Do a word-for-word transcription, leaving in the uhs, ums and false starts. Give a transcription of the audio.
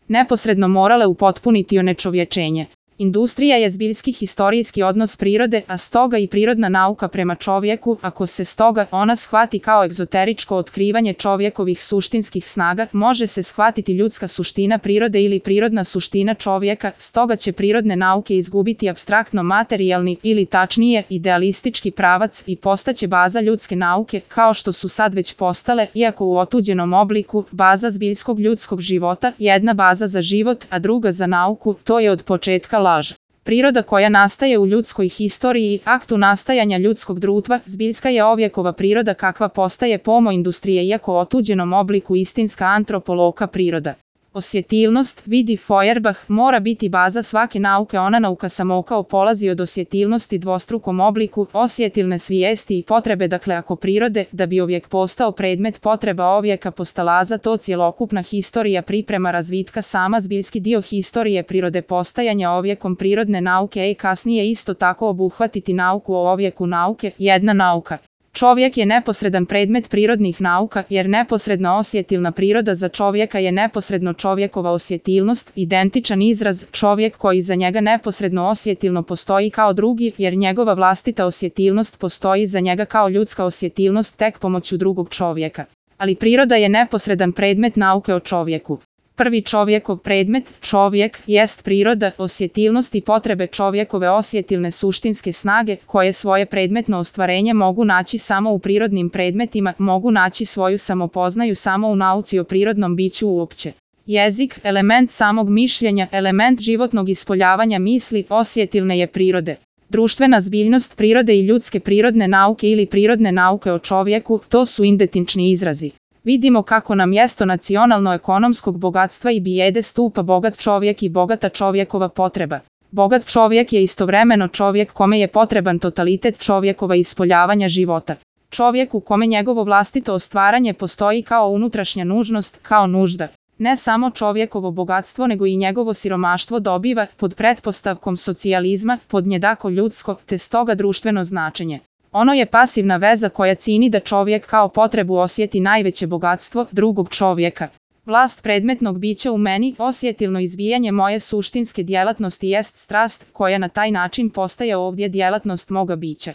neposredno morale upotpuniti onečovječenje. Industrija je zbiljski historijski odnos prirode, a stoga i prirodna nauka prema čovjeku, ako se stoga ona shvati kao egzoteričko otkrivanje čovjekovih suštinskih snaga, može se shvatiti ljudska suština prirode ili prirodna suština čovjeka, stoga će prirodne nauke izgubiti apstraktno materijalni ili tačnije idealistički pravac i postaće baza ljudske nauke, kao što su sad već postale, iako u otuđenom obliku, baza zbiljskog ljudskog života, jedna baza za život, a druga za nauku, to je od početka laž. Priroda koja nastaje u ljudskoj historiji i aktu nastajanja ljudskog društva, zbiljska je ovjekova priroda kakva postaje pomo industrije iako otuđenom obliku istinska antropološka priroda. Osjetilnost, vidi Feuerbach, mora biti baza svake nauke. Ona nauka samokao polazi od osjetilnosti dvostrukom obliku, osjetilne svijesti i potrebe. Dakle, ako prirode, da bi ovijek postao predmet potreba ovijeka postalaza, to cjelokupna historija priprema razvitka sama zbiljski dio historije prirode postajanja ovijekom prirodne nauke i kasnije isto tako obuhvatiti nauku o ovijeku nauke, jedna nauka. Čovjek je neposredan predmet prirodnih nauka, jer neposredna osjetilna priroda za čovjeka je neposredno čovjekova osjetilnost, identičan izraz čovjek koji za njega neposredno osjetilno postoji kao drugi, jer njegova vlastita osjetilnost postoji za njega kao ljudska osjetilnost tek pomoću drugog čovjeka. Ali priroda je neposredan predmet nauke o čovjeku. Prvi čovjekov predmet, čovjek, jest priroda, osjetilnost i potrebe čovjekove osjetilne suštinske snage, koje svoje predmetno ostvarenje mogu naći samo u prirodnim predmetima, mogu naći svoju samopoznaju samo u nauci o prirodnom biću uopće. Jezik, element samog mišljenja, element životnog ispoljavanja misli, osjetilne je prirode. Društvena zbiljnost prirode i ljudske prirodne nauke ili prirodne nauke o čovjeku, to su identični izrazi. Vidimo kako na mjesto nacionalno-ekonomskog bogatstva i bijede stupa bogat čovjek i bogata čovjekova potreba. Bogat čovjek je istovremeno čovjek kome je potreban totalitet čovjekova ispoljavanja života. Čovjek u kome njegovo vlastito ostvaranje postoji kao unutrašnja nužnost, kao nužda. Ne samo čovjekovo bogatstvo nego i njegovo siromaštvo dobiva, pod pretpostavkom socijalizma, podjednako ljudsko, te stoga društveno značenje. Ono je pasivna veza koja cini da čovjek kao potrebu osjeti najveće bogatstvo drugog čovjeka. Vlast predmetnog bića u meni, osjetilno izvijanje moje suštinske djelatnosti jest strast, koja na taj način postaje ovdje djelatnost moga bića.